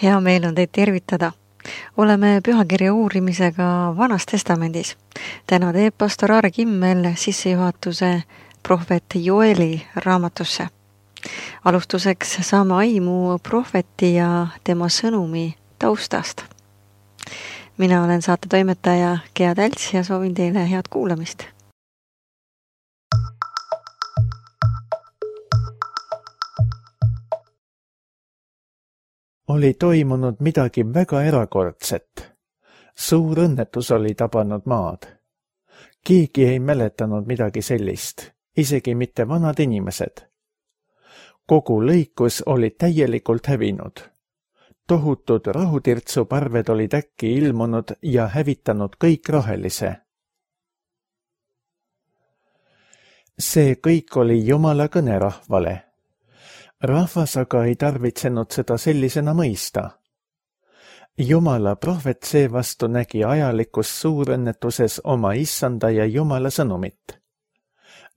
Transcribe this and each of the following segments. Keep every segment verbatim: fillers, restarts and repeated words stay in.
Hea meel on teid tervitada. Oleme pühakirja uurimisega Vanas Testamendis. Täna teeb pastor Aare Kimmel sissejuhatuse prohvet Joeli raamatusse. Alustuseks saame aimu prohveti ja tema sõnumi taustast. Mina olen saate toimetaja Gea Tälts ja soovin teile head kuulamist. Oli toimunud midagi väga erakordset. Suur õnnetus oli tabanud maad. Keegi ei mäletanud midagi sellist, isegi mitte vanad inimesed. Kogu lõikus oli täielikult hävinud. Tohutud rahutirtsuparved olid äkki ilmunud ja hävitanud kõik rohelise. See kõik oli Jumala kõne rahvale. Rahvas aga ei tarvitsenud seda sellisena mõista. Jumala prohvet seevastu nägi ajalikus suurõnnetuses oma issanda ja Jumala sõnumit.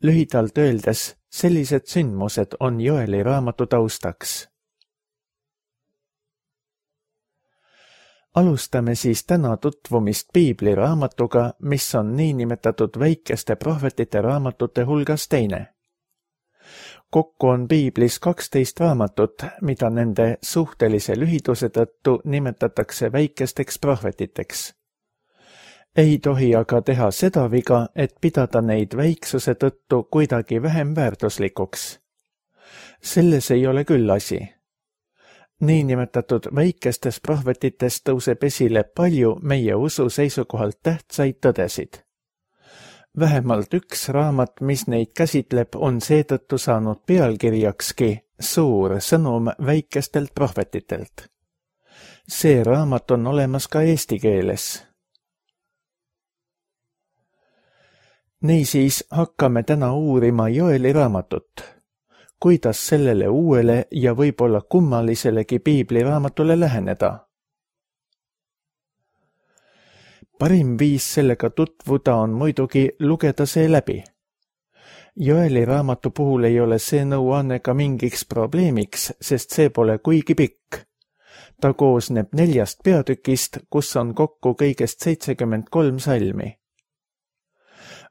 Lühidalt öeldes, sellised sündmused on Joeli raamatu taustaks. Alustame siis täna tutvumist Piibli raamatuga, mis on niinimetatud väikeste prohvetite raamatute hulgas teine. Kokku on Piiblis kaksteist raamatut, mida nende suhtelise lühiduse tõttu nimetatakse väikesteks prohvetiteks. Ei tohi aga teha seda viga, et pidada neid väiksuse tõttu kuidagi vähem väärtuslikuks. Selles ei ole küll asi. Niinimetatud väikestes prohvetites tõuseb esile palju meie usu seisukohalt tähtsaid tõdesid. Vähemalt üks raamat, mis neid käsitleb, on seetõttu saanud pealkirjakski Suur sõnum väikestelt prohvetitelt. See raamat on olemas ka eesti keeles. Niisiis hakkame täna uurima Joeli raamatut. Kuidas sellele uuele ja võib-olla kummaliselegi Piibli raamatule läheneda? Parim viis sellega tutvuda on muidugi lugeda see läbi. Joeli raamatu puhul ei ole see nõuanne ka mingiks probleemiks, sest see pole kuigi pikk. Ta koosneb neljast peatükist, kus on kokku kõigest seitsekümmend kolm salmi.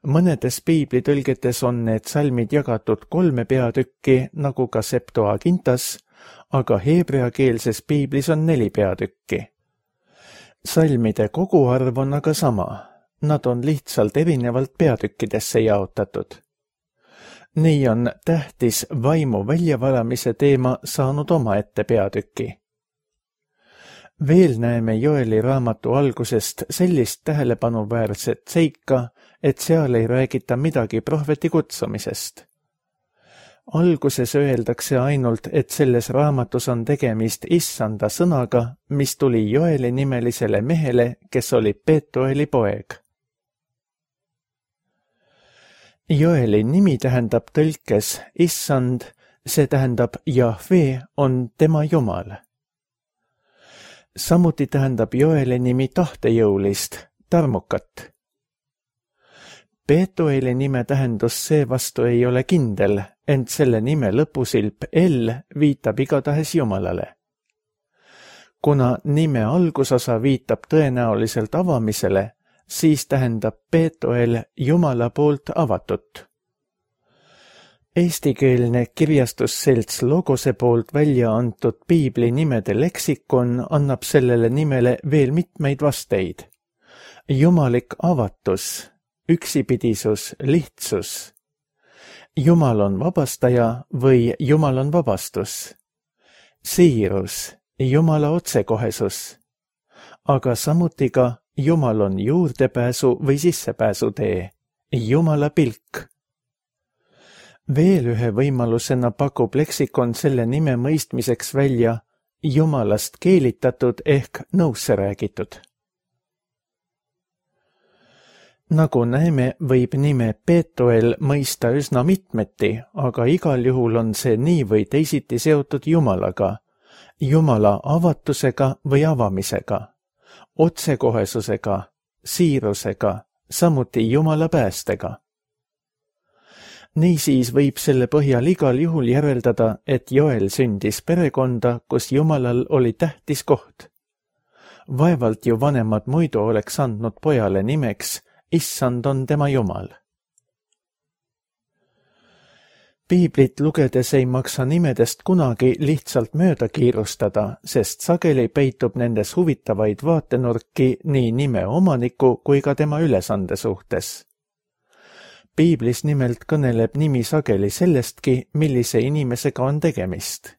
Mõnedes piiblitõlgetes on need salmid jagatud kolme peatükki, nagu ka Septuagintas, aga heebreakeelses piiblis on neli peatükki. Salmide koguarv on aga sama, nad on lihtsalt erinevalt peatükkidesse jaotatud. Nii on tähtis vaimu väljavalamise teema saanud omaette peatüki. Veel näeme Joeli raamatu algusest sellist tähelepanuväärset seika, et seal ei räägita midagi prohveti kutsumisest. Alguses öeldakse ainult, et selles raamatus on tegemist issanda sõnaga, mis tuli Joeli nimelisele mehele, kes oli Petueli poeg. Joeli nimi tähendab tõlkes issand, see tähendab Jahve on tema Jumal. Samuti tähendab Joeli nimi tahtejõulist, tarmukat. Petueli nime tähendus seevastu ei ole kindel, ent selle nime lõpusilp L viitab igatahes Jumalale. Kuna nime algusosa viitab tõenäoliselt avamisele, siis tähendab Petuel Jumala poolt avatut. Eestikeelne kirjastusselts Logose poolt välja antud piibli nimede leksikon annab sellele nimele veel mitmeid vasteid. Jumalik avatus, üksipidisus, lihtsus. Jumal on vabastaja või Jumal on vabastus. Siirus, Jumala otsekohesus. Aga samuti ka Jumal on juurdepääsu või sissepääsu tee, Jumala pilk. Veel ühe võimalusena pakub leksikon selle nime mõistmiseks välja Jumalast keelitatud ehk nõusse räägitud. Nagu näeme, võib nime Petuel mõista üsna mitmeti, aga igal juhul on see nii või teisiti seotud Jumalaga, Jumala avatusega või avamisega, otsekohesusega, siirusega, samuti Jumala päästega. Niisiis võib selle põhjal igal juhul järeldada, et Joel sündis perekonda, kus Jumalal oli tähtis koht. Vaevalt ju vanemad muidu oleks andnud pojale nimeks, issand on tema Jumal. Piiblit lugedes ei maksa nimedest kunagi lihtsalt mööda kiirustada, sest sageli peitub nendes huvitavaid vaatenurki nii nime omaniku kui ka tema ülesande suhtes. Piiblis nimelt kõneleb nimi sageli sellestki, millise inimesega on tegemist.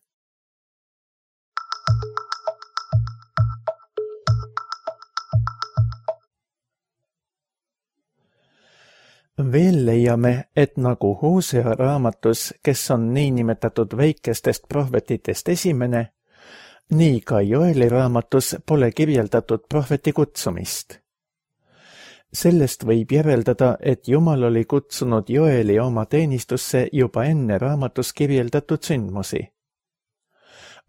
Veel leiame, et nagu Hosea raamatus, kes on niinimetatud väikestest prohvetitest esimene, nii ka Joeli raamatus pole kirjeldatud prohveti kutsumist. Sellest võib järeldada, et Jumal oli kutsunud Joeli oma teenistusse juba enne raamatus kirjeldatud sündmusi.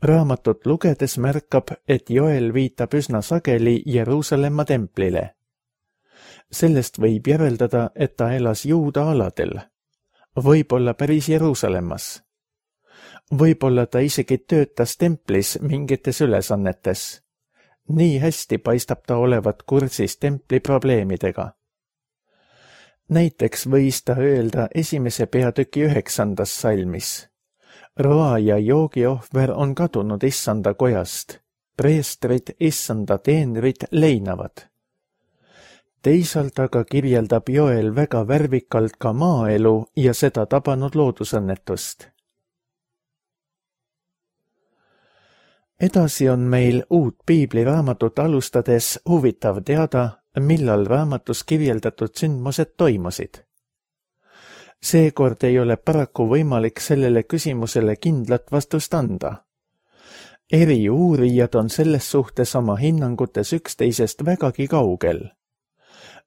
Raamatut lugedes märkab, et Joel viitab üsna sageli Jeruusalemma templile. Sellest võib järeldada, et ta elas Juuda aladel, võib-olla päris Jeruusalemmas. Võib-olla ta isegi töötas templis mingites ülesannetes. Nii hästi paistab ta olevat kursis templi probleemidega. Näiteks võis ta öelda esimese peatüki üheksandas salmis. Roa ja joogiohver on kadunud issanda kojast. Preestrid issanda teenrid leinavad. Teisalt aga kirjeldab Joel väga värvikalt ka maaelu ja seda tabanud loodusõnnetust. Edasi on meil uut piibliraamatut alustades huvitav teada, millal raamatus kirjeldatud sündmused toimusid. Seekord ei ole paraku võimalik sellele küsimusele kindlat vastust anda. Eri uurijad on selles suhtes oma hinnangutes üksteisest vägagi kaugel.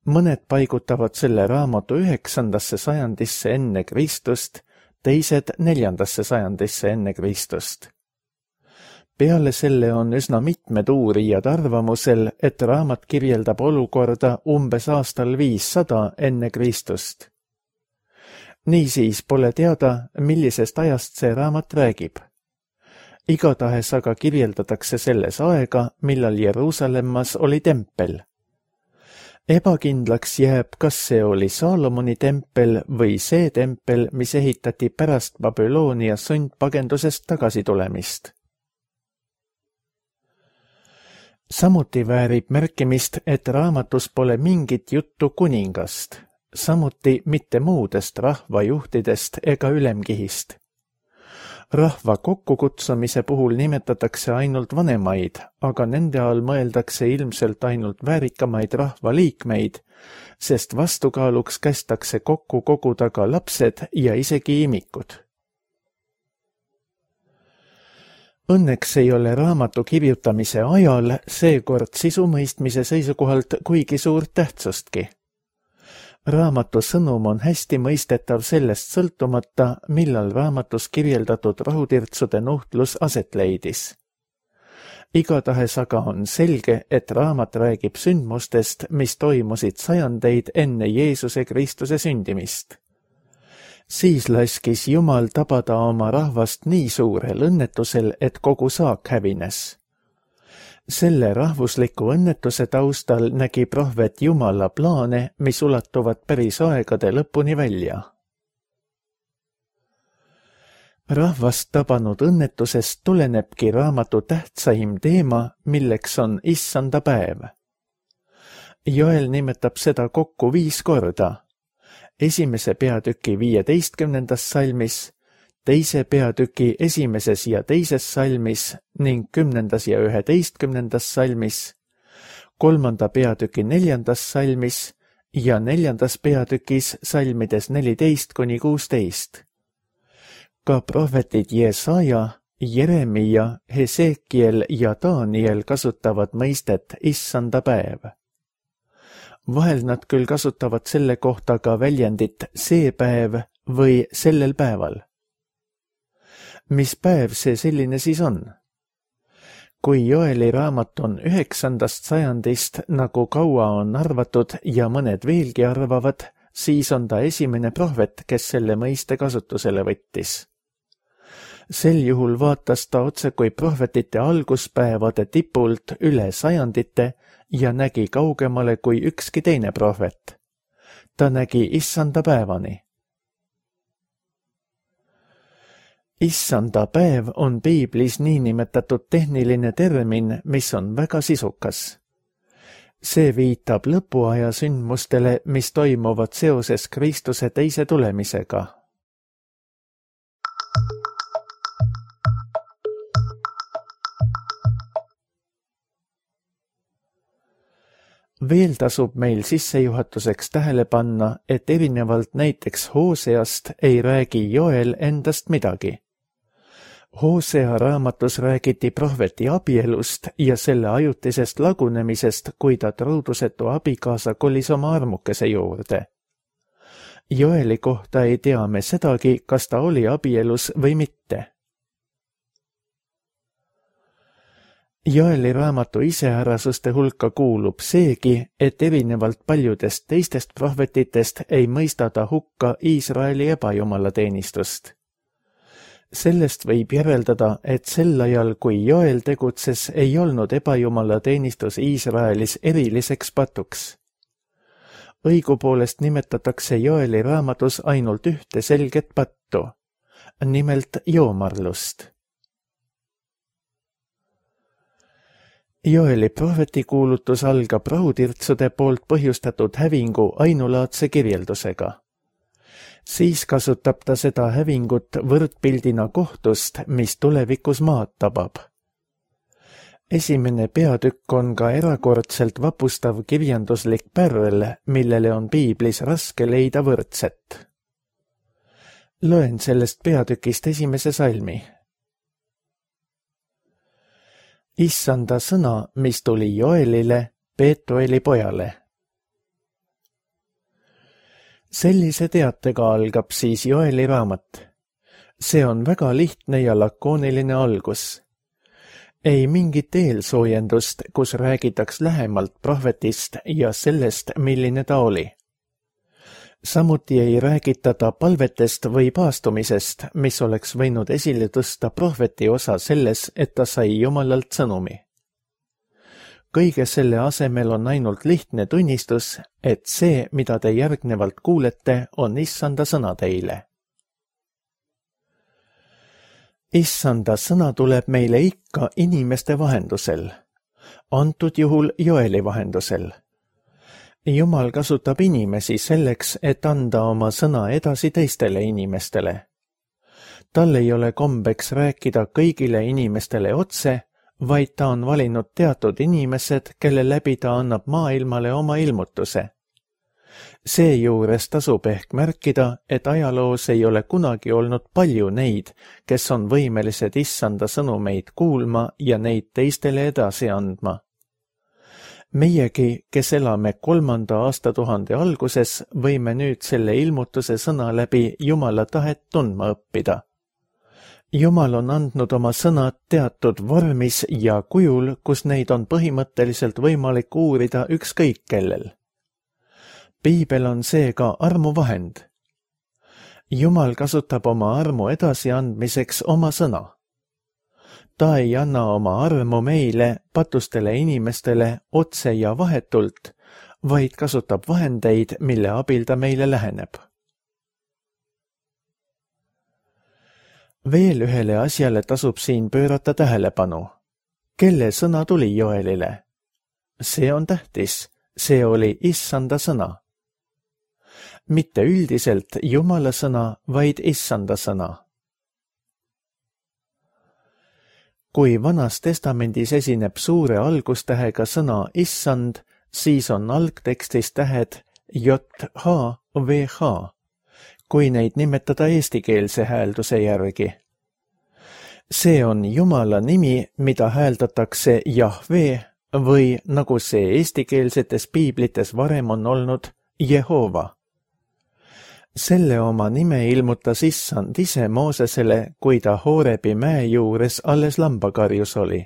Mõned paigutavad selle raamatu üheksandasse sajandisse enne Kristust, teised neljandasse sajandisse enne Kristust. Peale selle on üsna mitmed uurijad arvamusel, et raamat kirjeldab olukorda umbes aastal viissada enne Kristust. Niisiis pole teada, millisest ajast see raamat räägib. Igatahes aga kirjeldatakse selles aega, millal Jeruusalemmas oli tempel. Ebakindlaks jääb, kas see oli Saalomoni tempel või see tempel, mis ehitati pärast Babyloonia sundpagendusest tagasi tulemist. Samuti väärib märkimist, et raamatus pole mingit juttu kuningast, samuti mitte muudest rahvajuhtidest ega ülemkihist. Rahva kokkukutsumise puhul nimetatakse ainult vanemaid, aga nende all mõeldakse ilmselt ainult väärikamaid rahvaliikmeid, sest vastukaaluks kästakse kokku koguda ka lapsed ja isegi imikud. Õnneks ei ole raamatu kirjutamise ajal seekord sisumõistmise seisukohalt kuigi suurt tähtsustki. Raamatu sõnum on hästi mõistetav sellest sõltumata, millal raamatus kirjeldatud rahutirtsude nuhtlus aset leidis. Igatahes aga on selge, et raamat räägib sündmustest, mis toimusid sajandeid enne Jeesuse Kristuse sündimist. Siis laskis Jumal tabada oma rahvast nii suurel õnnetusel, et kogu saak hävines. Selle rahvusliku õnnetuse taustal nägi prohvet Jumala plaane, mis ulatuvad päris aegade lõpuni välja. Rahvast tabanud õnnetusest tulenebki raamatu tähtsaim teema, milleks on issanda päev. Joel nimetab seda kokku viis korda. Esimese peatüki viieteistkümnendas salmis, teise peatüki esimeses ja teises salmis ning kümnendas ja üheteistkümnendas salmis, kolmanda peatüki neljandas salmis ja neljandas peatükis salmides neliteist kuni kuusteist. Ka prohvetid Jesaja, Jeremia, Hesekiel ja Daniel kasutavad mõistet issanda päev. Vahel nad küll kasutavad selle kohta ka väljendit see päev või sellel päeval. Mis päev see selline siis on? Kui Joeli raamat on üheksandast sajandist, nagu kaua on arvatud ja mõned veelgi arvavad, siis on ta esimene prohvet, kes selle mõiste kasutusele võttis. Sel juhul vaatas ta otse kui prohvetite alguspäevade tipult üle sajandite ja nägi kaugemale kui ükski teine prohvet. Ta nägi issanda päevani. Issanda päev on piiblis niinimetatud tehniline termin, mis on väga sisukas. See viitab lõpuaja sündmustele, mis toimuvad seoses Kristuse teise tulemisega. Veel tasub meil sissejuhatuseks tähele panna, et erinevalt näiteks Hooseast ei räägi Joel endast midagi. Hoosea raamatus räägiti prohveti abielust ja selle ajutisest lagunemisest, kui ta truudusetu abikaasa kolis oma armukese juurde. Joeli kohta ei tea me sedagi, kas ta oli abielus või mitte. Joeli raamatu iseärasuste hulka kuulub seegi, et erinevalt paljudest teistest prohvetitest ei mõista ta hukka Iisraeli ebajumalateenistust. Sellest võib järeldada, et sel ajal, kui Joel tegutses, ei olnud ebajumalateenistus Iisraelis eriliseks patuks. Õigupoolest nimetatakse Joeli raamatus ainult ühte selget pattu, nimelt joomarlust. Joeli prohvetikuulutus algab rahutirtsude poolt põhjustatud hävingu ainulaadse kirjeldusega. Siis kasutab ta seda hävingut võrdpildina kohtust, mis tulevikus maad tabab. Esimene peatükk on ka erakordselt vapustav kirjanduslik pärl, millele on piiblis raske leida võrdset. Loen sellest peatükist esimese salmi. Issanda sõna, mis tuli Joelile, Peetueli pojale. Sellise teatega algab siis Joeli raamat. See on väga lihtne ja lakooniline algus. Ei mingit eelsoojendust, kus räägitaks lähemalt prohvetist ja sellest, milline ta oli. Samuti ei räägita ta palvetest või paastumisest, mis oleks võinud esile tõsta prohveti osa selles, et ta sai Jumalalt sõnumi. Kõige selle asemel on ainult lihtne tunnistus, et see, mida te järgnevalt kuulete, on issanda sõna teile. Issanda sõna tuleb meile ikka inimeste vahendusel, antud juhul Joeli vahendusel. Jumal kasutab inimesi selleks, et anda oma sõna edasi teistele inimestele. Tal ei ole kombeks rääkida kõigile inimestele otse, vaid ta on valinud teatud inimesed, kelle läbi ta annab maailmale oma ilmutuse. Seejuures tasub ehk märkida, et ajaloos ei ole kunagi olnud palju neid, kes on võimelised issanda sõnumeid kuulma ja neid teistele edasi andma. Meiegi, kes elame kolmanda aastatuhande alguses, võime nüüd selle ilmutuse sõna läbi Jumala tahet tundma õppida. Jumal on andnud oma sõnad teatud vormis ja kujul, kus neid on põhimõtteliselt võimalik uurida ükskõik kellel. Piibel on seega armuvahend. Jumal kasutab oma armu edasiandmiseks oma sõna. Ta ei anna oma armu meile, patustele inimestele, otse ja vahetult, vaid kasutab vahendeid, mille abil ta meile läheneb. Veel ühele asjale tasub siin pöörata tähelepanu. Kelle sõna tuli Joelile? See on tähtis, see oli issanda sõna. Mitte üldiselt Jumala sõna, vaid issanda sõna. Kui Vanas Testamendis esineb suure algustähega sõna issand, siis on algtekstis tähed J H V H, kui neid nimetada eestikeelse häälduse järgi. See on Jumala nimi, mida hääldatakse Jahve või nagu see eestikeelsetes piiblites varem on olnud Jehova. Selle oma nime ilmutas issand ise Moosesele, kui ta Hoorebi mäe juures alles lambakarjus oli.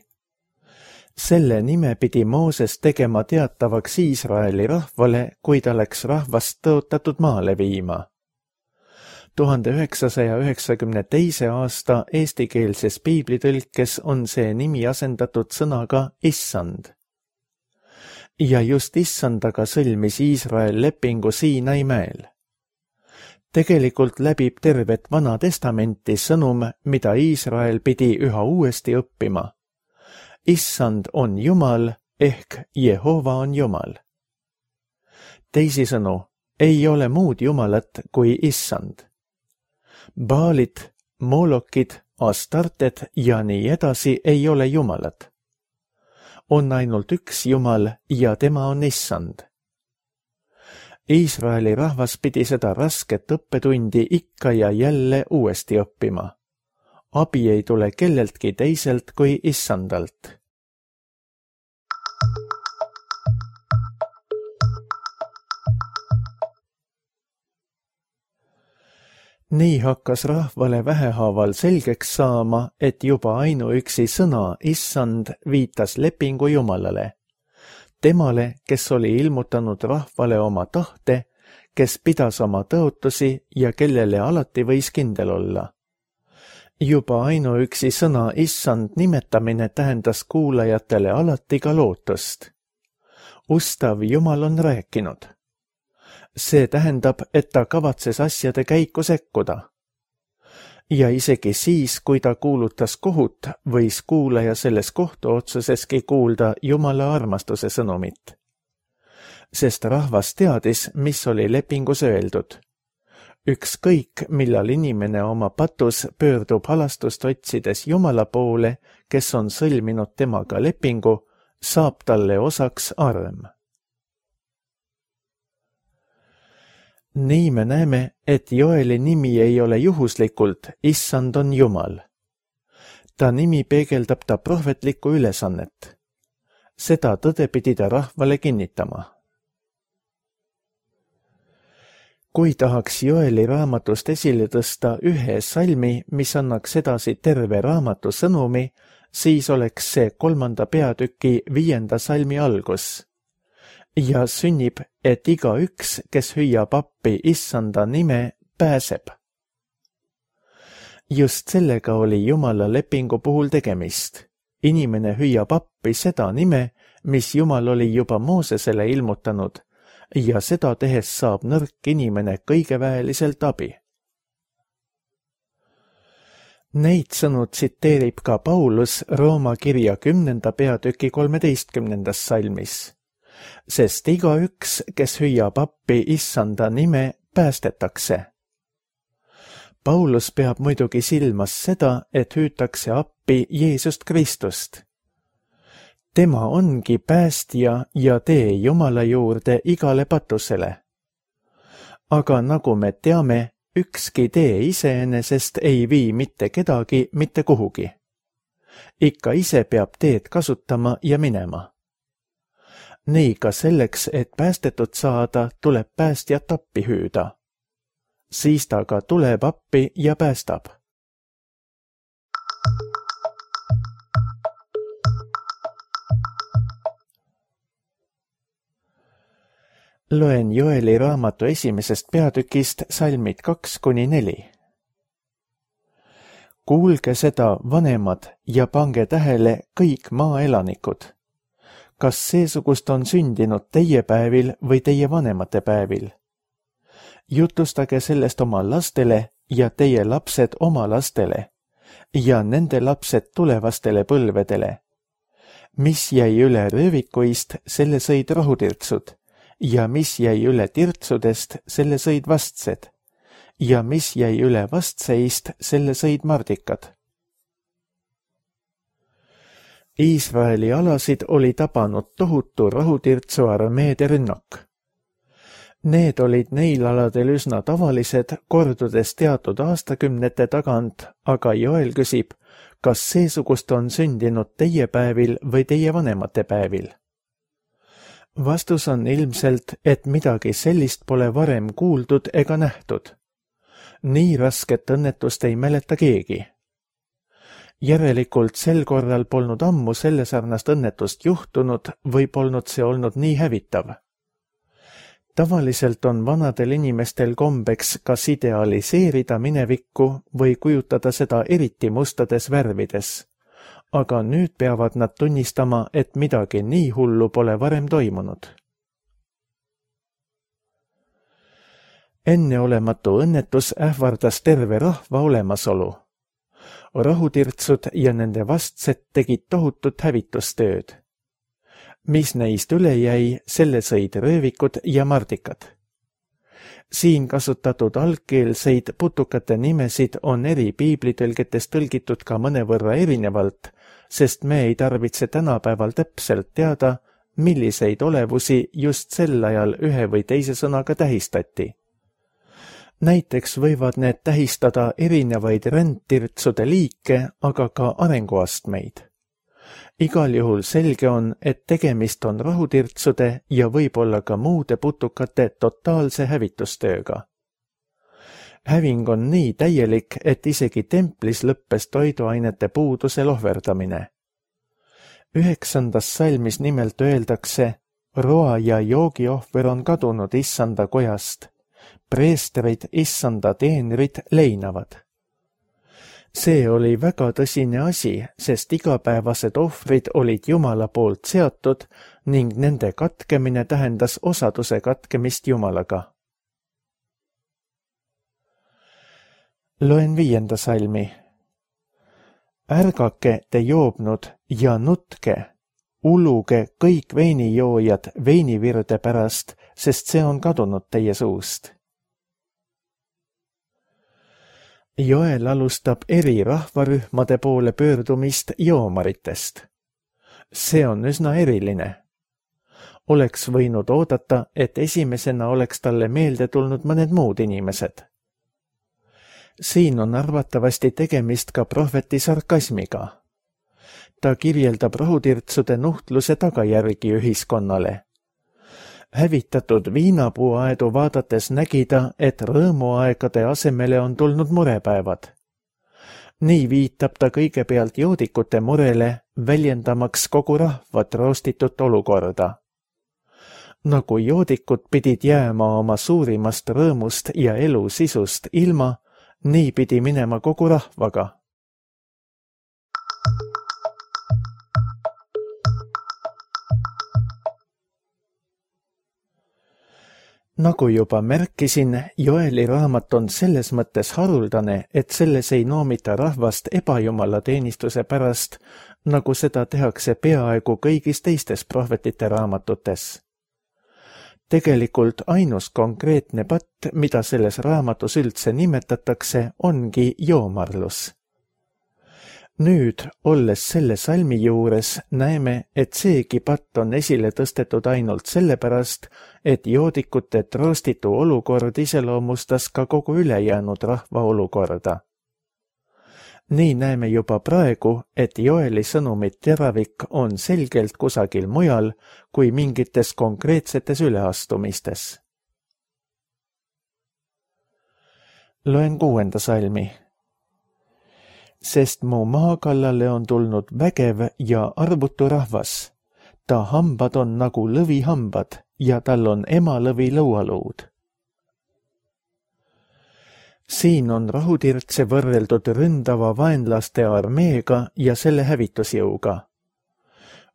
Selle nime pidi Mooses tegema teatavaks Iisraeli rahvale, kui ta läks rahvast tõotatud maale viima. tuhande üheksasaja üheksakümne teise aasta eestikeelses piiblitõlkes on see nimi asendatud sõnaga Issand. Ja just Issandaga sõlmis Iisrael lepingu Siinai mäel. Tegelikult läbib tervet Vana Testamenti sõnum, mida Iisrael pidi üha uuesti õppima. Issand on Jumal ehk Jehova on Jumal. Teisisõnu, ei ole muud Jumalat kui Issand. Baalid, Molokid, Astarted ja nii edasi ei ole Jumalad. On ainult üks Jumal ja tema on Issand. Iisraeli rahvas pidi seda rasket õppetundi ikka ja jälle uuesti õppima. Abi ei tule kelleltki teiselt kui Issandalt. Nii hakkas rahvale vähehaaval selgeks saama, et juba ainuüksi sõna Issand viitas lepingu Jumalale. Temale, kes oli ilmutanud rahvale oma tahte, kes pidas oma tõotusi ja kellele alati võis kindel olla. Juba ainuüksi sõna Issand nimetamine tähendas kuulajatele alati ka lootust. Ustav Jumal on rääkinud. See tähendab, et ta kavatses asjade käiku sekkuda. Ja isegi siis, kui ta kuulutas kohut, võis kuulaja selles kohtuotsuseski kuulda Jumala armastuse sõnumit. Sest rahvas teadis, mis oli lepingus öeldud. Ükskõik, millal inimene oma patus pöördub halastust otsides Jumala poole, kes on sõlminud temaga lepingu, saab talle osaks arm. Nii me näeme, et Joeli nimi ei ole juhuslikult Issand on Jumal. Ta nimi peegeldab ta prohvetlikku ülesannet. Seda tõde pidi ta rahvale kinnitama. Kui tahaks Joeli raamatust esile tõsta ühe salmi, mis annaks edasi terve raamatu sõnumi, siis oleks see kolmanda peatüki viienda salmi algus. Ja sünnib, et igaüks, kes hüüab appi Issanda nime, pääseb. Just sellega oli Jumala lepingu puhul tegemist. Inimene hüüab appi seda nime, mis Jumal oli juba Moosesele ilmutanud, ja seda tehes saab nõrk inimene kõigeväeliselt abi. Neid sõnu tsiteerib ka Paulus Rooma kirja kümnenda peatüki kolmeteistkümnendas salmis. Sest igaüks, kes hüüab appi Issanda nime, päästetakse. Paulus peab muidugi silmas seda, et hüütakse appi Jeesust Kristust. Tema ongi päästja ja tee Jumala juurde igale patusele. Aga nagu me teame, ükski tee iseenesest ei vii mitte kedagi mitte kuhugi. Ikka ise peab teed kasutama ja minema. Nii ka selleks, et päästetud saada, tuleb päästjat appi hüüda. Siis ta ka tuleb appi ja päästab. Loen Joeli raamatu esimesest peatükist salmid kaks kuni neli. Kuulge seda, vanemad, ja pange tähele kõik maaelanikud. Kas seesugust on sündinud teie päevil või teie vanemate päevil? Jutustage sellest oma lastele ja teie lapsed oma lastele ja nende lapsed tulevastele põlvedele. Mis jäi üle röövikuist, selle sõid rohutirtsud ja mis jäi üle tirtsudest, selle sõid vastsed ja mis jäi üle vastseist, selle sõid mardikad. Iisraeli alasid oli tabanud tohutu rohutirtsu armeede rünnak. Need olid neil aladel üsna tavalised, kordudes teatud aastakümnete tagant, aga Joel küsib, kas seesugust on sündinud teie päevil või teie vanemate päevil? Vastus on ilmselt, et midagi sellist pole varem kuuldud ega nähtud. Nii rasket õnnetust ei mäleta keegi. Järelikult sel korral polnud ammu selle sarnast õnnetust juhtunud või polnud see olnud nii hävitav. Tavaliselt on vanadel inimestel kombeks kas idealiseerida minevikku või kujutada seda eriti mustades värvides, aga nüüd peavad nad tunnistama, et midagi nii hullu pole varem toimunud. Enneolematu õnnetus ähvardas terve rahva olemasolu. Rahutirtsud ja nende vastsed tegid tohutut hävitustööd. Mis neist üle jäi, selle sõid röövikud ja mardikad. Siin kasutatud algkeelseid putukate nimesid on eri piiblitõlgetes tõlgitud ka mõnevõrra erinevalt, sest me ei tarvitse tänapäeval täpselt teada, milliseid olevusi just sel ajal ühe või teise sõnaga tähistati. Näiteks võivad need tähistada erinevaid rändtirtsude liike, aga ka arenguastmeid. Igal juhul selge on, et tegemist on rahutirtsude ja võib-olla ka muude putukate totaalse hävitustööga. Häving on nii täielik, et isegi templis lõppes toiduainete puuduse lohverdamine. Üheksandas salmis nimelt öeldakse, roa ja joogiohver on kadunud issanda kojast. Preestrid, issanda teenrid leinavad. See oli väga tõsine asi, sest igapäevased ohvrid olid Jumala poolt seatud ning nende katkemine tähendas osaduse katkemist Jumalaga. Loen viienda salmi. Ärgake te joobnud ja nutke, uluge kõik veinijoojad veinivirde pärast, sest see on kadunud teie suust. Joel alustab eri rahvarühmade poole pöördumist joomaritest. See on üsna eriline. Oleks võinud oodata, et esimesena oleks talle meelde tulnud mõned muud inimesed. Siin on arvatavasti tegemist ka prohveti sarkasmiga. Ta kirjeldab rahutirtsude nuhtluse tagajärgi ühiskonnale. Hävitatud viinapuuaedu vaadates nägi ta, et rõõmuaegade asemele on tulnud murepäevad. Nii viitab ta kõigepealt joodikute murele, väljendamaks kogu rahvat roostitut olukorda. Nagu joodikud pidid jääma oma suurimast rõõmust ja elu sisust ilma, nii pidi minema kogu rahvaga. Nagu juba märkisin, Joeli raamat on selles mõttes haruldane, et selles ei noomita rahvast ebajumala teenistuse pärast, nagu seda tehakse peaaegu kõigis teistes prohvetite raamatutes. Tegelikult ainus konkreetne patt, mida selles raamatus üldse nimetatakse, ongi joomarlus. Nüüd, olles selle salmi juures, näeme, et seegi patt on esile tõstetud ainult sellepärast, et joodikute troostitu olukord iseloomustas ka kogu ülejäänud rahva olukorda. Nii näeme juba praegu, et Joeli sõnumit teravik on selgelt kusagil mujal kui mingites konkreetsetes üleastumistes. Loen kuuenda salmi. Sest mu maakallale on tulnud vägev ja arvutu rahvas. Ta hambad on nagu lõvihambad ja tal on emalõvi lõualuud. Siin on rahutirtse võrreldud ründava vaenlaste armeega ja selle hävitusjõuga.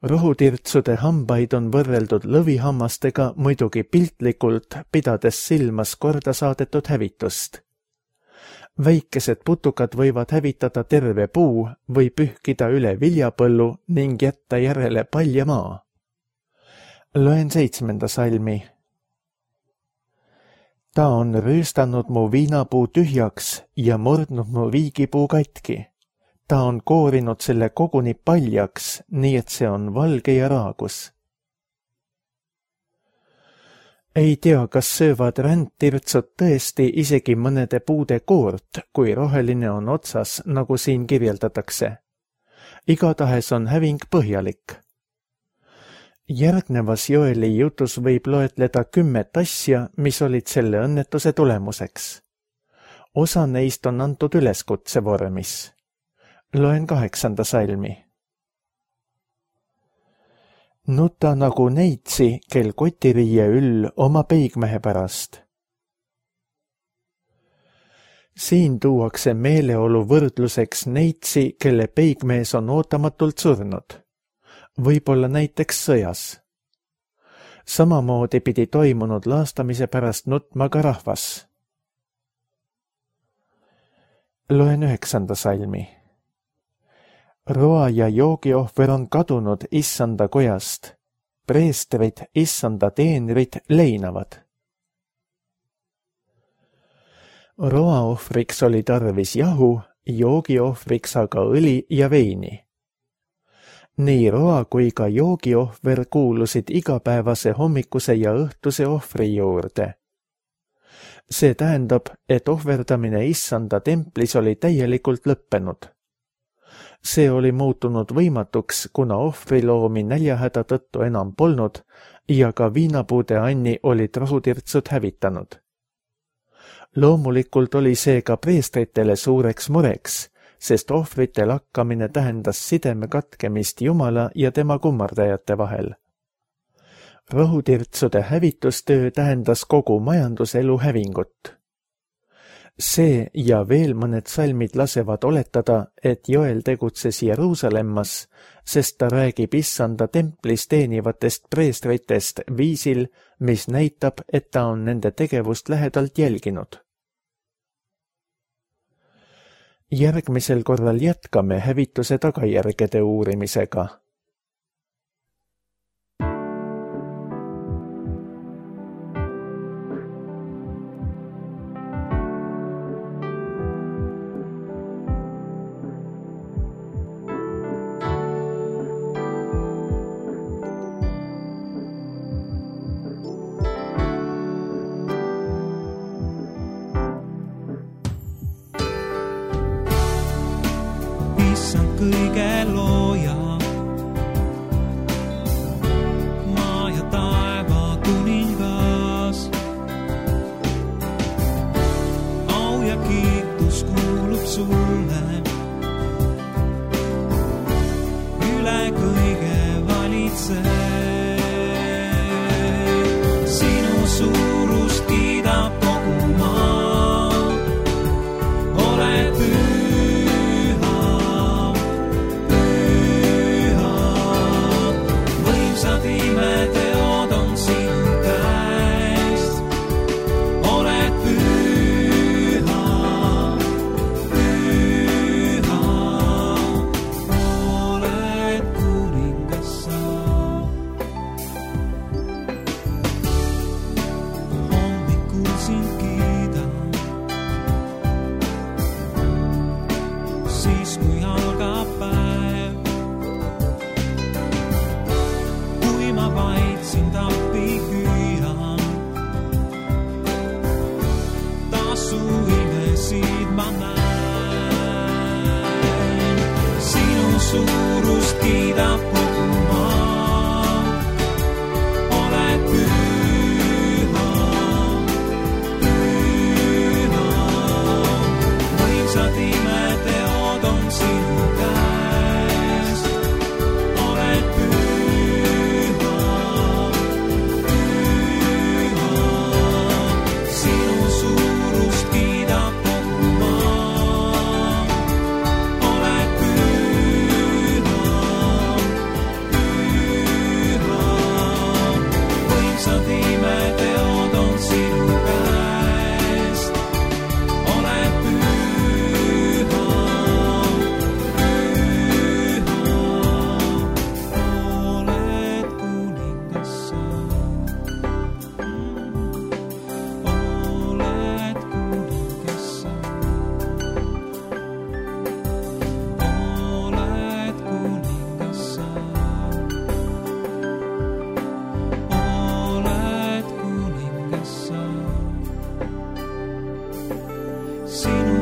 Rahutirtsude hambaid on võrreldud lõvihammastega muidugi piltlikult, pidades silmas korda saadetud hävitust. Väikesed putukad võivad hävitada terve puu või pühkida üle viljapõllu ning jätta järele palja maa. Loen seitsmenda salmi. Ta on rüüstanud mu viinapuu tühjaks ja murdnud mu viigipuu katki. Ta on koorinud selle koguni paljaks, nii et see on valge ja raagus. Ei tea, kas söövad rändtirtsud tõesti isegi mõnede puude koort, kui roheline on otsas, nagu siin kirjeldatakse. Igatahes on häving põhjalik. Järgnevas Joeli jutus võib loetleda kümmet asja, mis olid selle õnnetuse tulemuseks. Osa neist on antud üleskutse vormis. Loen kaheksanda salmi. Nuta nagu neitsi, kel kotiriie üll oma peigmehe pärast. Siin tuuakse meeleolu võrdluseks neitsi, kelle peigmees on ootamatult surnud. Võib-olla näiteks sõjas. Samamoodi pidi toimunud laastamise pärast nutma ka rahvas. Loen üheksanda salmi. Roa ja joogiohver on kadunud issanda kojast. Preestrid, issanda teenrid leinavad. Roaohvriks oli tarvis jahu, joogiohvriks aga õli ja veini. Nii roa kui ka joogiohver kuulusid igapäevase hommikuse ja õhtuse ohvri juurde. See tähendab, et ohverdamine issanda templis oli täielikult lõppenud. See oli muutunud võimatuks, kuna ohvriloomi näljahäda tõttu enam polnud ja ka viinapuude Anni olid rohutirtsud hävitanud. Loomulikult oli see ka preestritele suureks mureks, sest ohvrite lakkamine tähendas sideme katkemist Jumala ja tema kummardajate vahel. Rohutirtsude hävitustöö tähendas kogu majanduselu hävingut. See ja veel mõned salmid lasevad oletada, et Joel tegutses Jeruusalemmas, sest ta räägib issanda templis teenivatest preestritest viisil, mis näitab, et ta on nende tegevust lähedalt jälginud. Järgmisel korral jätkame hävituse tagajärgede uurimisega. Kõige looja, maa ja taeva kuningas. Au ja kiitus kuulub sulle, üle kõige valitse. Sinu suurust kiidab kogu maa, oled püü. Imeteod on sinu käest, oled püha, püha, oled kuningas sa. Hommikul sind kiidan, siis kui algab päev. Ma vaid sind appi hüüan, tasu imesid ma näen. Sinu suurust kiidab kogu maa, oled püha, püha. Võimsad imeteod on sinu käes, oled püha.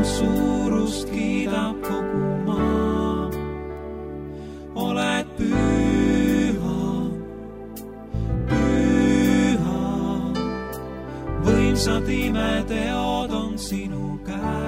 Suurust kiidab kogu maa, oled püha, püha. Võimsad imeteod on sinu käes.